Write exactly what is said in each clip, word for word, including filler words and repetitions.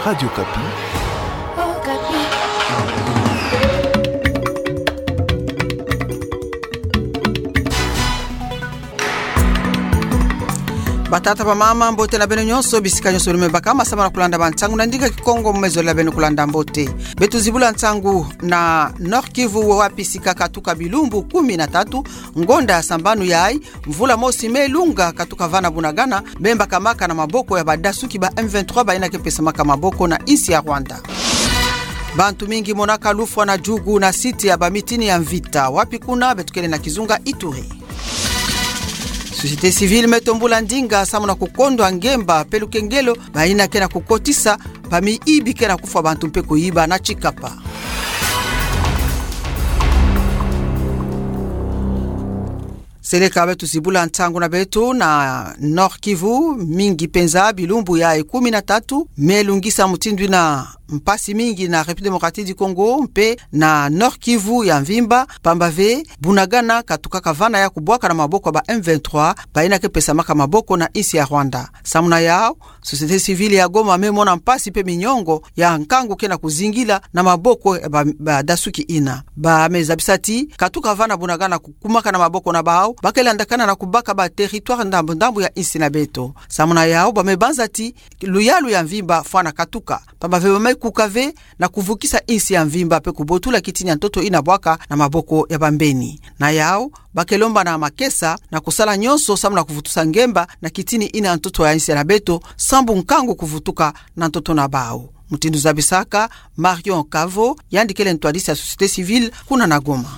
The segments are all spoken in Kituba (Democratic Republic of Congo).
Radio Okapi. Batata, bamama, mbote na beno nyonso, bisika nyonso lumebakama, samu na kulanda bansangu na ndinga Kikongo, mu mezo la beno kulanda mbote. Beto zibula nsangu na Nord-Kivu, wapi sika katuka bilumbu kumi na tatu, ngonda ya sambanu yayi, mvula mosi me lunga katuka vana Bunagana, me mbakamaka na maboko ya badasuki ba M vingt-trois bayina ke pesamaka maboko na insi ya Rwanda. Bantu mingi monaka lufwa na Djugu na site ya bamitini ya mvita. Wapi kuna? Beto kele na kizunga Ituri. Société civile me tombula ndinga samu na kukondwa ngemba mpe lukengelo bayina ke na kukotisa bamiyibi ke na kufwa bantu mpe kuyiba na Tshikapa. Seleka beto zibula nsangu na beto na Nord-Kivu, mingi mpenza bilumbu yayi kumi na tatu me lungisa mutindu yina mpasi mingi na République Démocratique du Congo mpe na Nord-Kivu ya mvimba, pamba ve Bunagana katukaka vana ya kubwaka na maboko ya ba M vingt-trois bayina ke pesamaka maboko na insi ya Rwanda. Samu na yawu, société civile ya Goma me mona mpasi mpe minyongo ya nkangu ke na kuzingila na maboko ya ba, badasuki yina. Ba me zabisa ti katuka vana Bunagana kukumaka na maboko na bawu, ba ke landakana na kubaka ba territoire ndambu ndambu ya insi na beto. Samu na yawu, ba me banza ti luyalu ya mvimba fwa na katuka, pamba ve ba me kuka ve na kuvukisa insi ya mvimba mpe kubotula kitini ya ntoto yina bwaka na maboko ya bambeni. Na yawu, ba ke lomba na makesa na kusala nyonso samu na kuvutusa ngemba na kitini yina ya ntoto ya insi na beto, sambu nkangu kuvutuka na ntoto na bawu. Mutindu zabisaka Marion Kavo, yandi kele ntwadisi ya société civile kuna na Goma.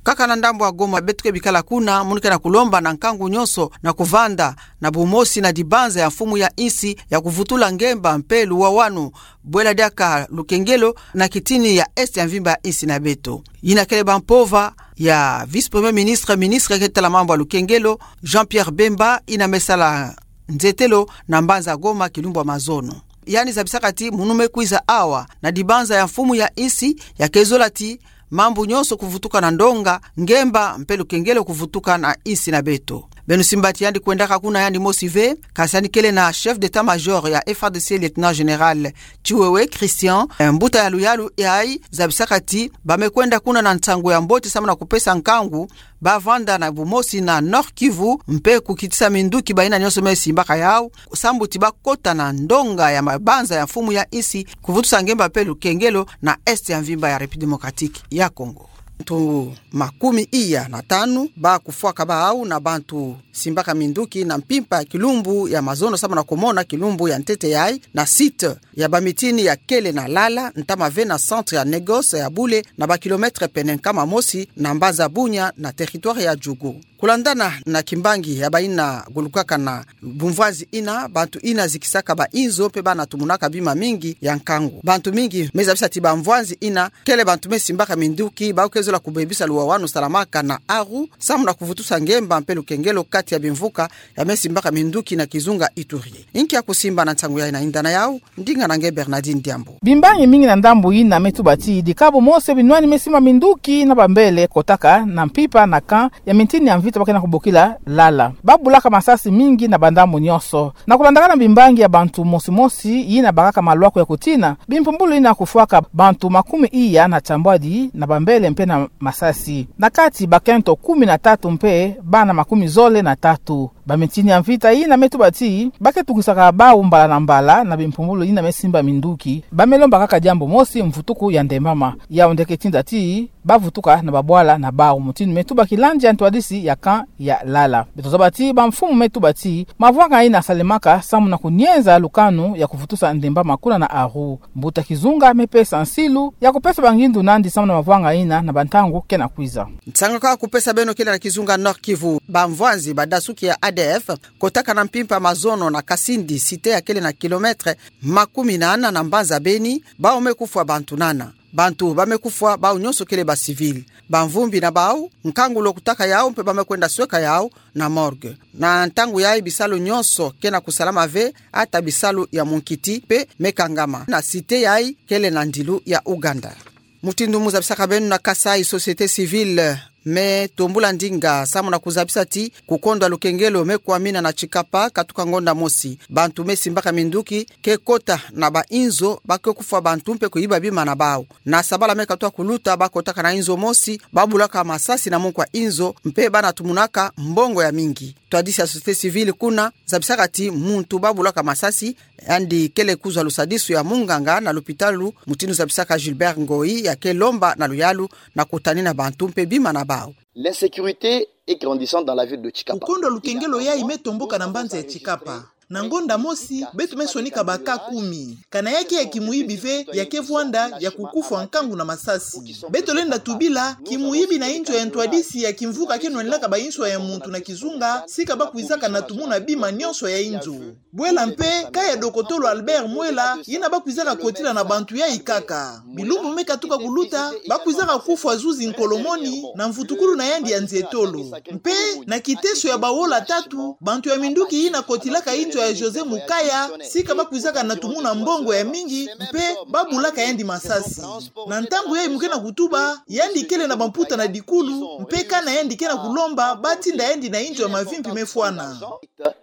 Kaka na ndambu ya Goma, beto ke bikala kuna, munu ke na kulomba na nkangu nyonso na kuvanda na bumosi na dibanza ya mfumu ya insi ya kuvutula ngemba mpe luwawanu, bwela diaka lukengelo na kitini ya est ya mvimba ya insi na beto. Yina kele ba mpova ya vice-premier ministre, ministre ke tala mambu ya lukengelo, Jean-Pierre Bemba, yina me sala nzetelo na mbanza Goma kilumbu ya mazono. Yandi zabisaka ti munu me kwiza awa, na dibanza ya mfumu ya insi, ya ke zola ti mambu nyonso kuvutuka na ndonga, ngemba mpe lukengelo kuvutuka na insi na beto. Beno simba ti yandi kwendaka kuna yandi mosi ve, kasi yandi kele na chef d'état-major ya F A R D C, lieutenant général Tshiwewe Christian, eh, mbuta ya luyalu yayi, zabisaka ti ba me kwenda kuna na nsangu ya mbote samu na kupesa nkangu ba vanda na bumosi na Nord-Kivu mpe kukitisa minduki bayina nyonso me simbaka yawu, sambu ti ba kota na ndonga ya mabanza ya mfumu ya insi, kuvutusa ngemba mpe lukengelo na est ya mvimba ya République Démocratique ya Congo. Bantu makumi iya na tanu ba kufwaka bawu na bantu simbaka minduki na mpimpa ya kilumbu ya mazono samu na kumona kilumbu ya ntete yayi na site ya bamitini ya kele na Lala, ntama ve na centre ya négoce ya bule, na ba kilomètre pene nkama mosi na mbanza Bunia na territoire ya Djugu. Kulandana na kimbangi ya bayina gulukaka na bumvwanzi yina, bantu yina zikisaka ba inzo mpe bana tumunaka bima mingi ya nkangu. Bantu mingi me zabisa ti bamvwanzi yina kele bantu me simbaka minduki, bawu ke zola kubebisa luwawanu salamaka na Aru, samu na kuvutusa ngemba mpe lukengelo kati ya bimvuka ya me simbaka minduki na kizunga Ituri. Inki ya kusimba na nsangu yayi na yinda na yawu, ndinga na nge Bernardine Diambu. Bimbangi mingi na ndambu yina me tuba ti dikabu mosi binwani me simba minduki na bambele kotaka na mpimpa na camp ya mitini ya mvita ba ke na kubokila Lala. Ba bulaka masasi mingi na bandambu nyonso. Na kulandaka na bimbangi ya bantu mosi mosi yina bakaka malwaku ya kutina, bimpumbulu yina kufwaka bantu makumi iya na tiambwadi na bambele mpe na masasi. Na kati bakento kumi na tatu mpe bana makumi zole na tatu. Bamitini ya mvita yina me tuba ti ba ke tukisaka bawu mbala na mbala na bimpumbulu yina me simba minduki. Ba me lomba kaka diambu mosi, mvutuku ya ndembama. Yawu nde ke tinda ti ba vutuka na babwala na bawu, mutindu me tuba kilandi ya ntwadisi ya camp ya Lala. Beto zaba ti bamfumu me tuba ti mavwanga yina salemaka samu na kunienza lukanu ya kuvutusa ndembama kuna na Aru. Mbuta kizunga me pesa nsilu ya kupesa bangindu nandi samu na mavwanga yina na bantangu ke na kwiza. Nsangu ka kupesa beno kele na kizunga Nord-Kivu, bamvwanzi badasuki ya A D F kotaka na mpimpa mazono na Kasindi, site ya kele na kilomètre makumi nana na mbanza Beni, bawu me kufwa bantu nana. Bantu ba me kufwa bawu nyonso kele ba civil. Bamvumbi na bawu, nkangu lo kutaka yawu mpe ba me kwenda sweka yawu na morgue. Na ntangu yayi bisalu nyonso ke na kusalama ve, ata bisalu ya munkiti mpe me kangama na site yayi kele na ndilu ya Uganda. Mutindu mu zabisaka beno na Kasaï, société civile me tombula ndinga samu na kuzabisa ti kukondwa lukengelo me kwamina na tikapa katuka ngonda mosi. Bantu me simbaka minduki ke kota na bainzo, ba ke kufwa bantu mpe kuyiba bima na bau. Na sabala me katuka kuluta, ba kotaka na inzo mosi, ba bulaka masasi na munku ya inzo, mpe ba na tumunaka mbongo ya mingi. Twadisi ya société civile kuna zabisaka ti muntu ba bulaka masasi, yandi kele kuzwa lusadisu ya munganga na lupitalu, mutindu zabisaka Gilbert Ngoyi, ya ke lomba na luyalu na kutanina bantu mpe bima na bau. L'insécurité est grandissante dans la ville de Tshikapa. Kukondwa lukengelo yayi me tomboka na mbanza ya Tshikapa. Na ngonda mosi, beto me sonika ba cas kumi. Kana ya ke ya kimuyibi ve, ya ke vwanda ya kukufwa nkangu na masasi. Beto lenda tubila, kimuyibi na inzo ya ntwadisi ya kimvuka ke nwanilaka bainswa ya muntu na kizunga, sika ba kwizaka na tumuna bima nionso ya inzo. Bwela mpe, cas ya dokotolo Albert Mwela, yina ba kwizaka kotila na bantu yayi kaka. Bilumbu me katuka kuluta, ba kwizaka kufwa zuzi nkolomoni, na mvutukulu na yandi ya nzietolo. Mpe, na kiteso ya bawola tatu, bantu ya minduki yina kotilaka inzo ya José Mukaya, sika ba kwizaka na tumuna mbongo ya mingi, mpe ba bulaka yandi masasi. Na ntangu yayi mu ke na kutuba, yandi kele na bamputa na dikulu, mpe kana yandi ke na kulomba, ba tinda yandi na inzo ya mavimpi me fwana.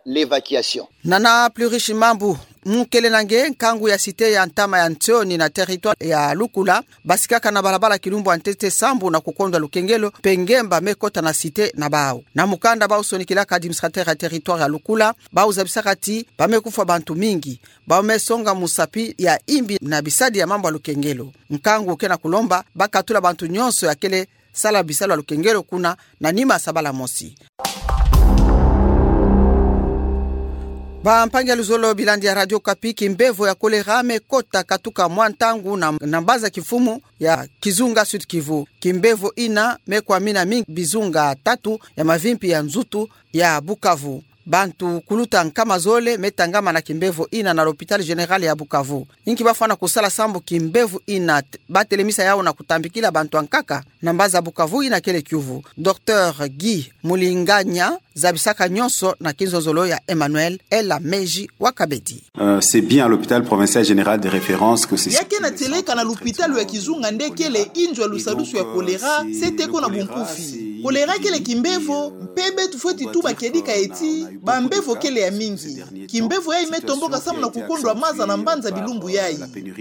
L'évacuation. Nana Plurish Mambu, mu kele na nge nkangu ya cité ya ntama ya Ntsioni na territoire ya Lukula, ba sikaka na balabala kilumbu ya ntete sambu na kukondwa lukengelo, mpe ngemba me kota na cité na bau. Na mukanda bau sonikilaka administrateur ya territoire ya Lukula, bau zabisaka ti ba me kufwa bantu mingi, bau me songa musapi ya imbi na bisadi ya mambu ya lukengelo. Nkangu ke na kulomba ba katula bantu nionso ya kele sala bisalu ya lukengelo kuna na nima ya sabala mosi. Bampangi ya luzolo, bilandi ya Radio Okapi, kimbevo ya choléra me kota katuka mwa ntangu na, na mbanza kimfumu ya kizunga Sud-Kivu. Kimbevo yina me kwamina mingi bizunga tatu ya mavimpi ya nzutu ya Bukavu. Bantu kuluta nkama zole me tangama na kimbevo yina na l'hôpital général ya Bukavu. Inki ba fwana kusala sambu kimbevo yina t-, ba telemisa yau na kutambikila bantu ya nkaka? Na mbanza Bukavu yina kele kiuvu. Docteur Guy Mulinganya zabisaka nionso na kinzonzolo ya Emmanuel Ela Meji wa Kabedi. Euh, c'est bien à l'hôpital provincial général de référence que c'est... Ya ke na tieleka na lupitalu ya kizunga nde kele inzo ya lusadusu ya choléra, C T ko na bunkufi. Choléra kele kimbevo, mpe beto fweti tuba kedika eti bambevo kele ya mingi. Kimbevo yayi me tomboka samu na kukondwa maza na mbanza bilumbu yayi.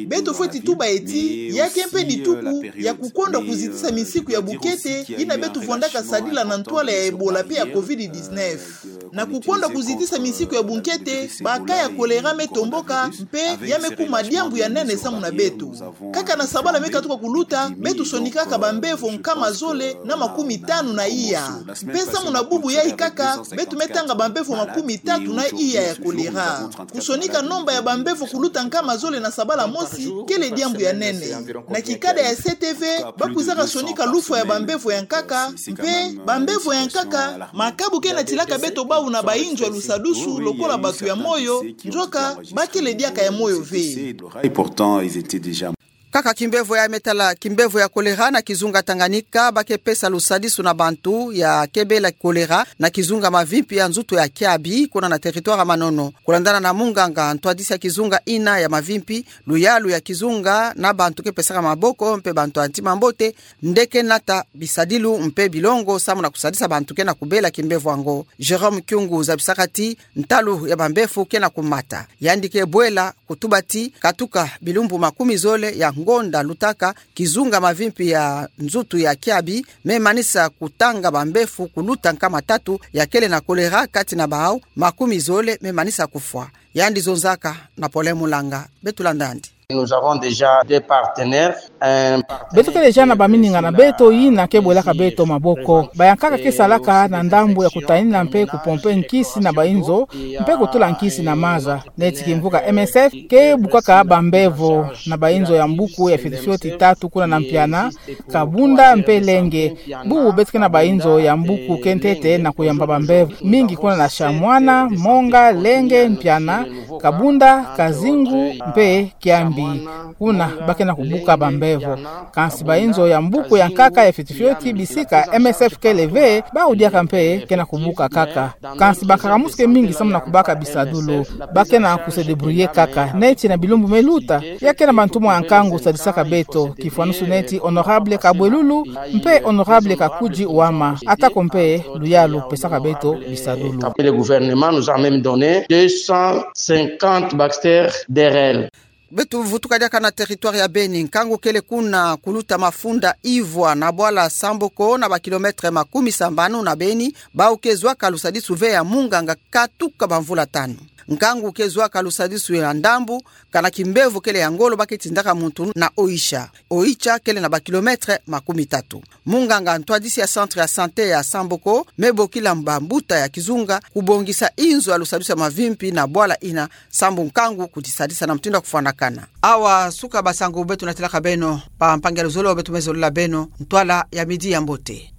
Beto fweti tuba eti ya ke mpe dituku ya kukondwa kuzitisa misiku ya bukete yina beto vwandaka sadila na ntwala ya Ebola mpe ya covid dix-neuf. Na kukondwa kuzitisa misiku ya bukete, ba cas ya choléra me tomboka, mpe ya me kuma diambu ya nene samu na beto. Kaka na sabala me katuka kuluta, beto sonikaka bambevo nkama zole na makumi tanu na iya. Mpe samu na bubu yayi kaka, beto me tanga bambevo makumi tatu na iya ya choléra. Kusonika nomba ya bambevo kuluta nkama zole na sabala mosi, kele diambu ya nene. Na kikada ya C T V, ba kwizaka sonika lufwa ya bambevo ya nkaka, mpe bambevo ya nkaka, makabu ke na tilaka beto bau na bainzo ya lusadusu lokola bato ya moyo, nzoka ba kele diaka ya moyo ve. Et pourtant, ils étaient déjà... Kaka kimbevo ya me tala kimbevo ya choléra na kizunga Tanganyika, ba ke pesa lusadisu na bantu ya ke bela choléra na kizunga mavimpi ya nzutu ya Kiabi, kuna na territoire ya Manono. Kulandana na munganga ntwadisi ya kizunga yina ya mavimpi, luyalu ya kizunga na bantu ke pesaka maboko mpe bantu ya ntima mbote nde ke nata bisadilu mpe bilongo samu na kusadisa bantu ke na kubela kimbevo yango. Jérôme Kyungu zabisaka ti ntalu ya bambevo ke na kumata. Yandi ke bwela kutuba ti katuka bilumbu makumi zole ya ngonda lutaka, kizunga mavimpi ya nzutu ya Kiabi me manisa kutanga bambevo kuluta nkama tatu ya kele na choléra, kati na bau makumi zole me manisa kufwa. Yandi zonzaka na Pole Mulanga. Beto landa yandi. Nous avons déjà des partenaires, un partenaire... Beto kele déjà na bamininga na beto yina ke bwelaka beto maboko. Bayankaka ke salaka na ndambu ya kutanina mpe kupompe nkisi na bainzo, mpe kutula nkisi na maza. Neti kimvuka M S F ke bukaka bambevo na bainzo ya mbuku ya fioti fioti tatu kuna na Mpiana, Kabunda mpe Lenge. Bubu beto ke na bainzo ya mbuku ke ntete na kuyamba bambevo mingi kuna na Shamwana, Monga, Lenge, Mpiana, Kabunda, Kazingu mpe Kiambi. Kuna ba ke na kubuka bambevo. Kansi bainzo ya mbuku ya nkaka ya fioti fioti bisika M S F kele ve, bawu diaka mpe ke na kubuka kaka. Kansi bankaka musuke mingi samu na kubaka bisadulu. Ba ke na ku se débrouiller kaka. Neti na bilumbu me luta, ya ke na bantumwa ya nkangu sadisaka beto, kifwanusu neti Honorable Kabwelulu mpe Honorable Kakudi Wama. Atako mpe luyalu pesaka beto bisadulu. Et le gouvernement nous a même donné deux cent cinquante Baxter D R L. Beto vutuka diaka na territoire ya Beni. Nkangu kele kuna kuluta mafunda Ivwa na bwala Samboko, na ba kilomètre makumi sambanu na Beni, bawu ke zwaka lusadisu ve ya munganga katuka bamvula tanu. Nkangu ke zwaka lusadisu ya ndambu, kana kimbevo kele ya ngolo ba ke tindaka muntu na Oicha. Oicha kele na ba kilomètre makumi tatu. Munganga ntwadisi ya centre ya santé ya Samboko me bokila bambuta ya kizunga kubongisa inzo ya lusadisu ya mavimpi na bwala ina, sambu nkangu kutisadisa na mutindu ya kufwanakana. Awa suka basangu beto natilaka beno, ba mpangi ya luzolo beto me zolola beno ntwala ya midi ya mbote.